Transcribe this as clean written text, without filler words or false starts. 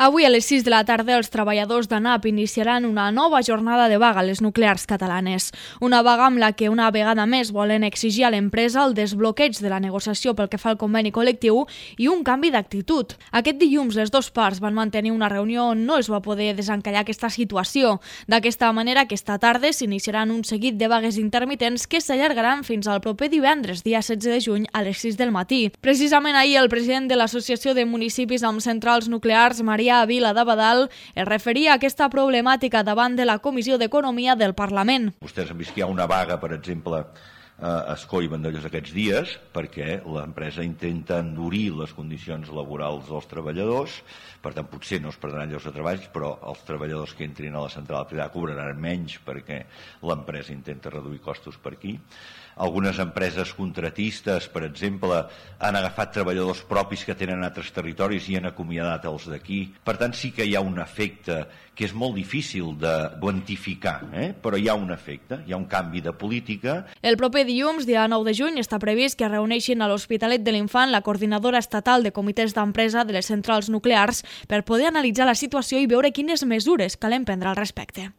Avui a les 6 de la tarda els treballadors d'ANAP iniciaran una nova jornada de vaga a les nuclears catalanes. Una vaga amb la que una vegada més volen exigir a l'empresa el desbloqueig de la negociació pel que fa al conveni col·lectiu i un canvi d'actitud. Aquest dilluns les dues parts van mantenir una reunió on no es va poder desencallar aquesta situació. D'aquesta manera, aquesta tarda s'iniciaran un seguit de vagues intermitents que s'allargaran fins al proper divendres, dia 16 de juny, a les 6 del matí. Precisament ahir el president de l'Associació de Municipis amb Centrals Nuclears, Maria Vila d'Abadal, es referia a aquesta problemàtica davant de la Comissió d'Economia del Parlament. Vostès han vist que hi ha una vaga, per exemple, a Ascó i Vandellòs aquests dies, perquè l'empresa intenta endurir les condicions laborals dels treballadors. Per tant, potser no es perdran llocs de treball, però els treballadors que entrin a la central privada cobraran menys perquè l'empresa intenta reduir costos per aquí. Algunes empreses contratistes, per exemple, han agafat treballadors propis que tenen altres territoris i han acomiadat els d'aquí. Per tant, sí que hi ha un efecte que és molt difícil de quantificar, però hi ha un efecte, hi ha un canvi de política. El proper dilluns, dia 9 de juny, està previst que es reuneixin a l'Hospitalet de l'Infant la coordinadora estatal de comitès d'empresa de les centrals nuclears per poder analitzar la situació i veure quines mesures calen prendre al respecte.